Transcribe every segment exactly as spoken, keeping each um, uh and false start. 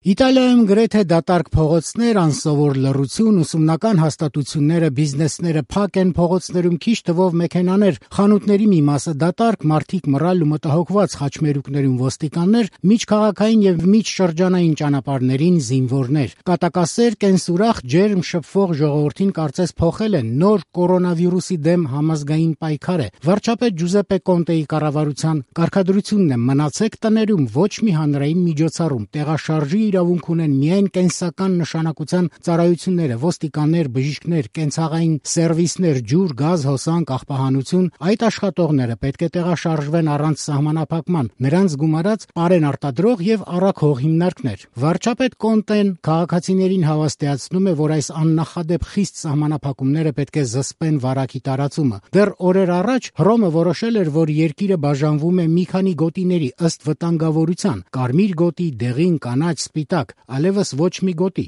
Իտալիայում գրեթե դատարկ փողոցներ, անսովոր լռություն, ուսումնական հաստատությունները, բիզնեսները փակ են, փողոցներում քիչ թվով մեքենաներ, խանութների մի մասը դատարկ, մարդիկ մռայլ ու մտահոգված, խաչմերուկներում ոստիկաններ, միջքաղաքային եւ միջշրջանային ճանապարհներին զինվորներ։ Կատակասեր, կենսուրախ, ջերմ, շփվող ժողովրդին կարծես փոխել են նոր կորոնավիրուսի դեմ համազգային պայքար է։ Վարչապետ Ջուզեպպե Կոնտեի կառավարության կարգադրությունն է՝ մնացեք տներում, ոչ մի հանրային միջոցառում, տեղաշարժի իրավունք ունեն միայն կենսական նշանակության ծառայությունները, ոստիկաններ, բժիշկներ, կենցաղային սերվիսներ, ջուր, գազ, հոսանք, աղբահանություն, այդ աշխատողները պետք է տեղաշարժվեն առանց սահմանափակման, նրանց գումարած պարեն արտադրող եւ առաքող հիմնարկներ։ Վարչապետ Կոնտեն քաղաքացիներին հավաստիացնում է, որ այս աննախադեպ խիստ սահմանափակումները պետք է զսպեն վարակի տարածումը։ Դեռ օրեր առաջ Հռոմը որոշել էր, որ երկիրը բաժանվում է մի քանի գոտիների ըստ վտանգավորության՝ կարմիր գոտի, դեղին, կանաչ, սպիտակ, այլևս ոչ մի գոտի։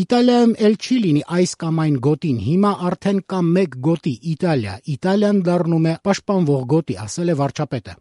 Իտալիայում էլ չի լինի այս կամ այն գոտին, հիմա արդեն կա մեկ գոտի՝ Իտալիա, Իտալիան դառնում է պաշտպանվող գոտի, ասել է վարչապետը։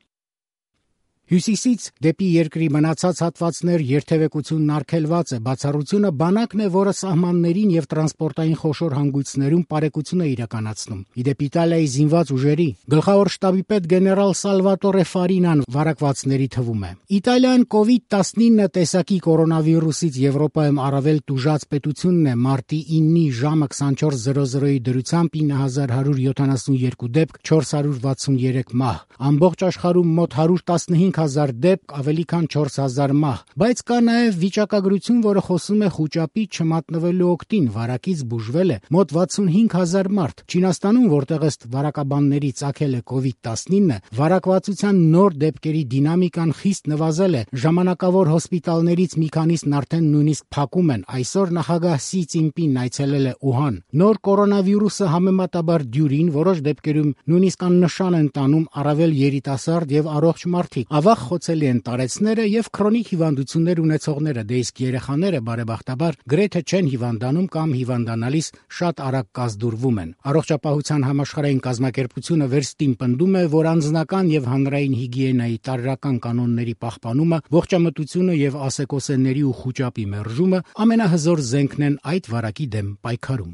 Հյուսիսից դեպի երկրի մնացած հատվածներ երթևեկությունն արգելված է, բացառությունը բանակն է, որը սահմաններին եւ տրանսպորտային խոշոր հանգույցներում պարեկություն է իրականացնում։ Իդեպ Իտալիայի զինված ուժերի գլխավոր շտաբի պետ գեներալ Սալվատորե Ֆարինան վարակվածների թվում է։ Իտալիան կովիդ տասնինը տեսակի կորոնավիրուսից Եվրոպայում առավել տուժած պետությունն է, մարտի իննի ժամը քսանչորս զրո զրոյի դրությամբ ինը հազար հարյուր յոթանասունյոթ դեպք, չորս հարյուր վաթսունյերեք մահ։ Ամբողջ աշխարհում մոտ հարյուր տասնհինգ հազար դեպք, ավելի քան չորս հազար մահ։ Բայց կա նաև վիճակագրություն, որը խոսում է խուճապի չմատնվելու օգտին, վարակից բուժվել է մոտ վաթսունհինգ հազար մարդ։ Չինաստանում, որտեղ ըստ վարակաբանների ծագել է կովիդ տասնինը, վարակվածության նոր դեպքերի դինամիկան խիստ նվազել է։ Ժամանակավոր հոսպիտալներից մի քանիսն արդեն նույնիսկ փակում են։ Այսօր նախագահ Սի Ցինպինն այցելել է Ուհան։ Նոր կորոնավիրուսը համեմատաբար դյուրին, որոշ դեպքերում նույնիսկ աննշան են տանում առավել երիտասարդ եւ առողջ մարդիկ։ Ավաղ խոցելի են տարեցները եւ քրոնիկ հիվանդություններ ունեցողները, դե իսկ երեխաները բարեբախտաբար գրեթե չեն հիվանդանում կամ հիվանդանալիս շատ արագ կազդուրվում են։ Առողջապահության համաշխարհային կազմակերպությունը վերստին պնդում է, որ անձնական եւ հանրային հիգիենայի տարրական կանոնների պահպանումը, ողջամտությունը եւ ասեկոսեների ու խուճապի մերժումը ամենահզոր զենքն են այդ վարակի դեմ պայքարում։